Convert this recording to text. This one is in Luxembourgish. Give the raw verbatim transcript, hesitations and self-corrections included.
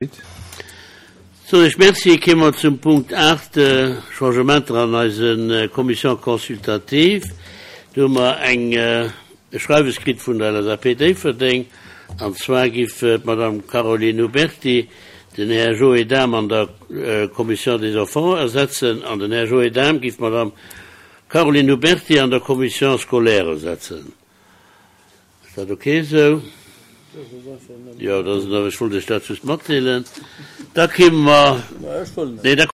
Soen ech Merci. Kéime mer zum Punkt aacht, Changementer an eise Commissions consultatives. Do hu mer eng e Schreiwes kritt vun der L S A P Déifferdeng, an zwar giff d'Madame Caroline Huberti den Här Joé Dahm an der Commission des Enfants ersetzen an den Här Joé Dahm giff d'Madame Caroline Huberti an der Commission scolaire ersetzen. Ass dat ok esou? Jo, dat ass, ech wollt Iech dat just matdeelen. Da kéime mer, nee, da